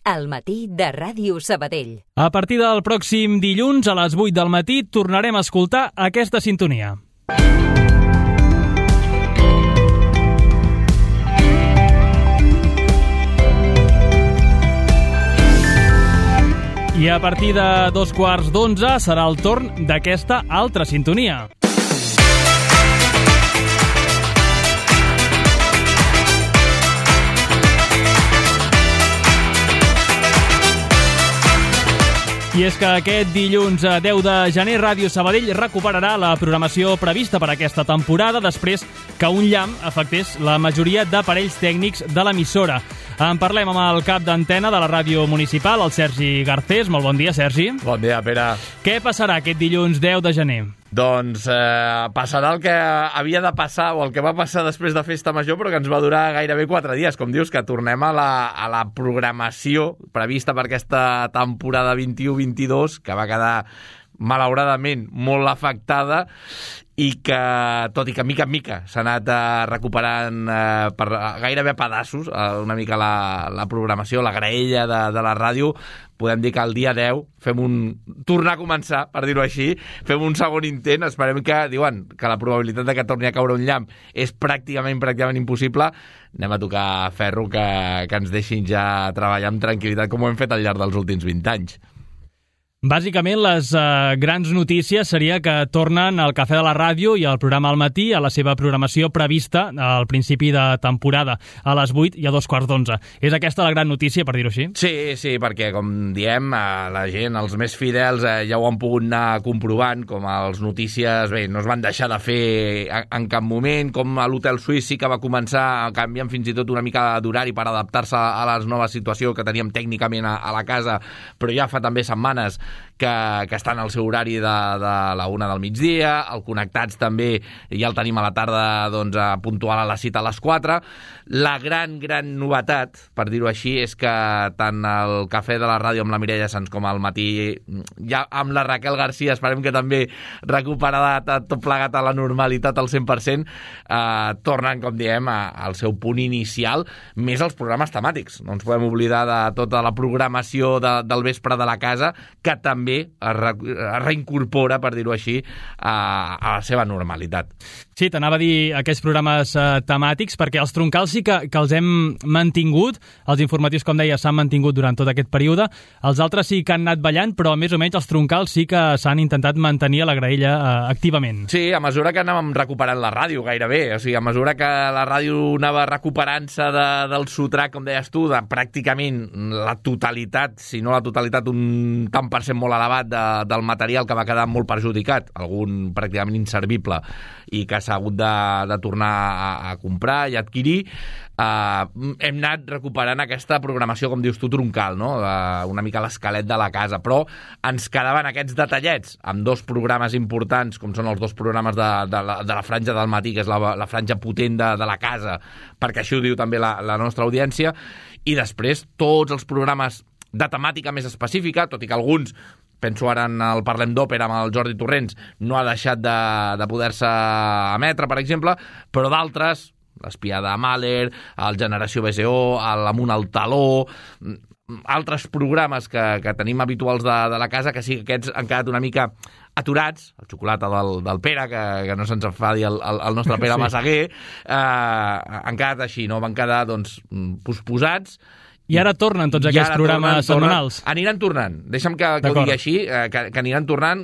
al matí de Ràdio Sabadell. A partir del pròxim dilluns a les 8 del matí tornarem a escoltar aquesta sintonia. I a partir de 11:15 serà el torn d'aquesta altra sintonia. I és que aquest dilluns 10 de gener Ràdio Sabadell recuperarà la programació prevista per aquesta temporada després que un llamp afectés la majoria d'aparells tècnics de l'emissora. En parlem amb el cap d'antena de la ràdio municipal, el Sergi Garcés. Molt bon dia, Sergi. Bon dia, Pere. Què passarà aquest dilluns 10 de gener? Doncs passarà el que havia de passar o el que va passar després de Festa Major, però que ens va durar gairebé 4 dies. Com dius, que tornem a la programació prevista per aquesta temporada 21-22, que va quedar malauradament molt afectada i que, tot i que mica en mica s'ha anat recuperant gairebé a pedaços una mica la programació, la graella de la ràdio, podem dir que el dia 10 tornar a començar, per dir-ho així, fem un segon intent, esperem que, diuen, que la probabilitat de que torni a caure un llamp és pràcticament impossible. Anem a tocar ferro que ens deixin ja treballar amb tranquil·litat com ho hem fet al llarg dels últims 20 anys. Bàsicament, les grans notícies seria que tornen al Cafè de la Ràdio i al programa al matí a la seva programació prevista al principi de temporada, a les 8 i a 11:15. És aquesta la gran notícia, per dir-ho així? Sí, perquè, com diem, la gent, els més fidels, ja ho han pogut anar comprovant, com els notícies, bé, no es van deixar de fer en cap moment, com a l'Hotel Suís sí que va començar canviant fins i tot una mica d'horari per adaptar-se a la nova situació que teníem tècnicament a la casa, però ja fa també setmanes que estan al seu horari de la 1 del migdia, el Connectats també ja el tenim a la tarda puntual a la cita a les 4. La gran novetat, per dir-ho així, és que tant el Cafè de la Ràdio amb la Mireia Sans com al matí, ja amb la Raquel Garcia, esperem que també recuperada tot plegat a la normalitat al 100%, tornen, com diem, al seu punt inicial, més els programes temàtics. No ens podem oblidar de tota la programació del vespre de la casa, que també es reincorpora, per dir-ho així, a la seva normalitat. Sí, t'anava a dir aquests programes temàtics, perquè els troncals sí que els hem mantingut, els informatius, com deia, s'han mantingut durant tot aquest període, els altres sí que han anat ballant, però més o menys els troncals sí que s'han intentat mantenir a la graella activament. Sí, a mesura que anàvem recuperant la ràdio, gairebé, o sigui, a mesura que la ràdio anava recuperant-se del sotrac, com deies tu, de pràcticament la totalitat, si no la totalitat, un tant per cent molt elevat del material que va quedar molt perjudicat, algun pràcticament inservible, i que s'ha hagut de tornar a comprar i adquirir. Hem anat recuperant aquesta programació, com dius tu, troncal, no? Una mica l'esquelet de la casa, però ens quedaven aquests detallets amb 2 programes importants, com són els 2 programes de la franja del matí, que és la franja potent de la casa, perquè així ho diu també la nostra audiència, i després tots els programes de temàtica més específica, tot i que alguns, penso ara en el Parlem d'Òpera amb el Jordi Torrents, no ha deixat de poder-se emetre, per exemple, però d'altres, l'Espiada de Mahler, el Generació BSO, l'Amunt al Taló, altres programes que tenim habituals de la casa, que sí que aquests han quedat una mica aturats, el Xocolata del Pere, que no se'ns enfadi el nostre Pere Massaguer, han quedat així, no? Van quedar posposats. I ara tornen tots aquests programes setmanals? Aniran tornant. Deixa'm que ho digui així, que aniran tornant.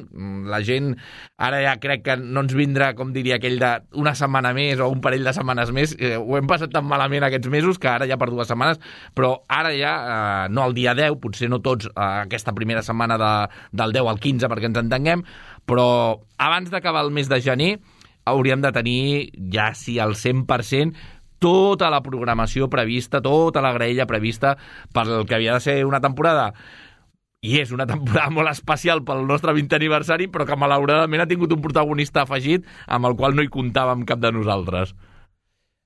La gent ara ja crec que no ens vindrà, com diria aquell, una setmana més o un parell de setmanes més. Ho hem passat tan malament aquests mesos que ara ja per 2 setmanes, però ara ja, no el dia 10, potser no tots aquesta primera setmana del 10 al 15 perquè ens entenguem, però abans d'acabar el mes de gener hauríem de tenir ja sí al 100% tota la programació prevista, tota la graella prevista pel que havia de ser una temporada. I és una temporada molt especial pel nostre 20è aniversari, però que malauradament ha tingut un protagonista afegit amb el qual no hi comptàvem cap de nosaltres.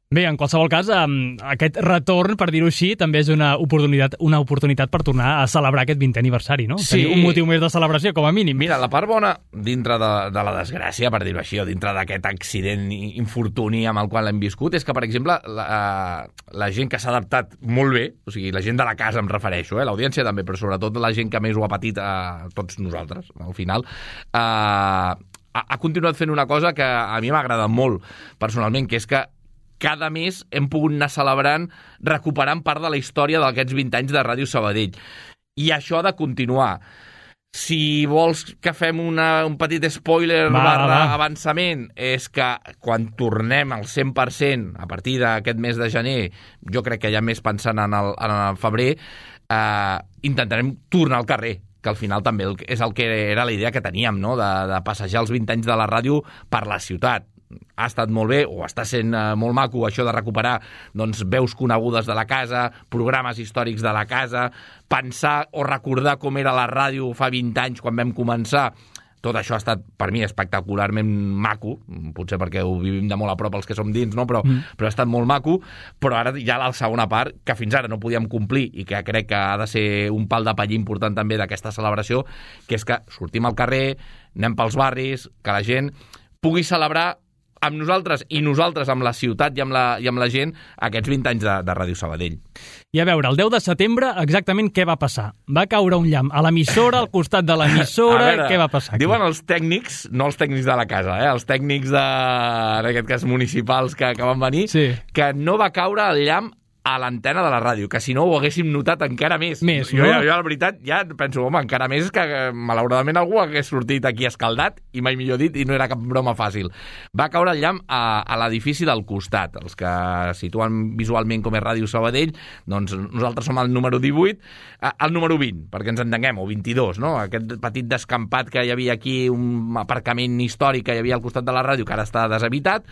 Bé, en qualsevol cas, aquest retorn, per dir-ho així, també és una oportunitat per tornar a celebrar aquest 20è aniversari, no? Sí. Tenir un motiu més de celebració, com a mínim. Mira, la part bona, dintre de la desgràcia, per dir-ho així, o dintre d'aquest accident, infortuni amb el qual l'hem viscut, és que, per exemple, la gent que s'ha adaptat molt bé, o sigui, la gent de la casa em refereixo, l'audiència també, però sobretot la gent que més ho ha patit, tots nosaltres, al final, ha continuat fent una cosa que a mi m'ha agradat molt, personalment, que és que cada mes hem pogut anar celebrant, recuperant part de la història d'aquests 20 anys de Ràdio Sabadell. I això ha de continuar. Si vols que fem un petit spoiler avançament, és que quan tornem al 100%, a partir d'aquest mes de gener, jo crec que ja més pensant en el febrer, intentarem tornar al carrer, que al final també és el que era la idea que teníem, no? de passejar els 20 anys de la ràdio per la ciutat. Ha estat molt bé, o està sent molt maco, això de recuperar doncs, veus conegudes de la casa, programes històrics de la casa, pensar o recordar com era la ràdio fa 20 anys quan vam començar. Tot això ha estat, per mi, espectacularment maco, potser perquè ho vivim de molt a prop els que som dins, no? però ha estat molt maco, però ara hi ha la segona part, que fins ara no podíem complir i que crec que ha de ser un pal de paller important també d'aquesta celebració, que és que sortim al carrer, anem pels barris, que la gent pugui celebrar amb nosaltres i nosaltres amb la ciutat i amb la gent aquests 20 anys de Ràdio Sabadell. I a veure, el 10 de setembre exactament què va passar? Va caure un llamp a l'emissora, al costat de l'emissora, què va passar aquí? Diuen els tècnics, no els tècnics de la casa, els tècnics en aquest cas municipals que van venir, sí, que no va caure el llamp a l'antena de la ràdio, que si no ho haguéssim notat encara més. Jo, la veritat, ja penso, home, encara més que malauradament algú hagués sortit aquí escaldat, i mai millor dit, i no era cap broma fàcil. Va caure el llamp a l'edifici del costat. Els que situen visualment com és Ràdio Sabadell, doncs nosaltres som al número 18, al número 20, perquè ens entenguem, o 22, no? Aquest petit descampat que hi havia aquí, un aparcament històric que hi havia al costat de la ràdio, que ara està deshabitat,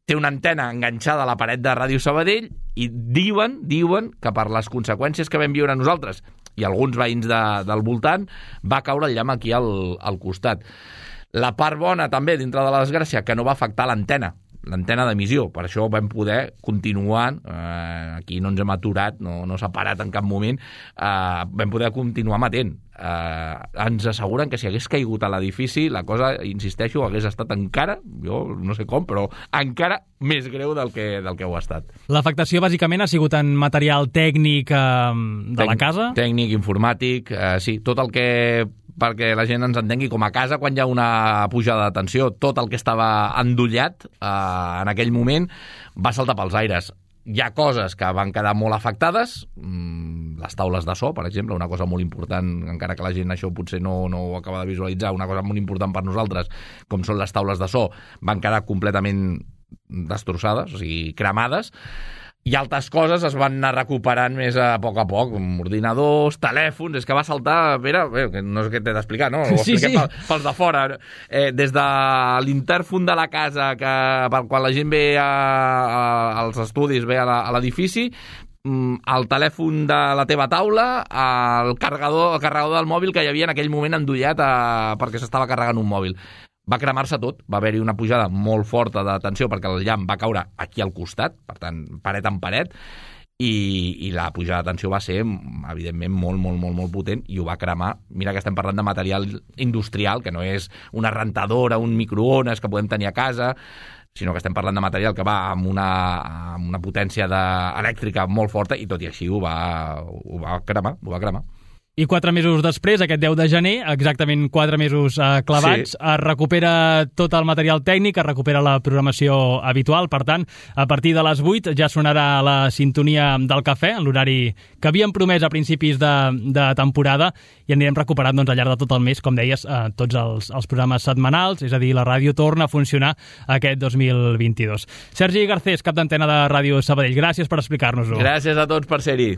té una antena enganxada a la paret de Ràdio Sabadell i diuen que per les conseqüències que vam viure nosaltres i alguns veïns del voltant va caure el llamp aquí al costat. La part bona també dintre de la desgràcia que no va afectar l'antena d'emissió, per això vam poder continuar, aquí no ens hem aturat, no s'ha parat en cap moment, vam poder continuar emetent. Ens asseguren que si hagués caigut a l'edifici, la cosa, insisteixo, hagués estat encara, jo no sé com, però encara més greu del que ho ha estat. L'afectació bàsicament ha sigut en material tècnic de la casa? Tècnic, informàtic, sí, tot el que, perquè la gent ens entengui, com a casa, quan hi ha una pujada de tensió, tot el que estava endollat en aquell moment va saltar pels aires. Hi ha coses que van quedar molt afectades, les taules de so, per exemple, una cosa molt important, encara que la gent això potser no ho acaba de visualitzar, una cosa molt important per nosaltres, com són les taules de so, van quedar completament destrossades, o sigui, cremades, i altres coses es van anar recuperant més a poc, ordinadors, telèfons, és que va saltar, Pere, no sé què t'he d'explicar, no? Ho expliquem pels de fora. Des de l'intèrfon de la casa, quan la gent ve als estudis, ve a l'edifici, el telèfon de la teva taula, el carregador del mòbil que hi havia en aquell moment endollat perquè s'estava carregant un mòbil. Va cremar-se tot, va haver-hi una pujada molt forta de tensió perquè el llamp va caure aquí al costat, per tant, paret en paret, i la pujada de tensió va ser, evidentment, molt potent i ho va cremar. Mira que estem parlant de material industrial, que no és una rentadora, un microones que podem tenir a casa, sinó que estem parlant de material que va amb una potència elèctrica molt forta i tot i així ho va cremar. I 4 mesos després, aquest 10 de gener, exactament 4 mesos clavats, sí, es recupera tot el material tècnic, es recupera la programació habitual. Per tant, a partir de les 8 ja sonarà la sintonia del cafè, en l'horari que havíem promès a principis de temporada, i anirem recuperant al llarg de tot el mes, com deies, tots els programes setmanals, és a dir, la ràdio torna a funcionar aquest 2022. Sergi Garcés, cap d'antena de Ràdio Sabadell, gràcies per explicar-nos-ho. Gràcies a tots per ser-hi.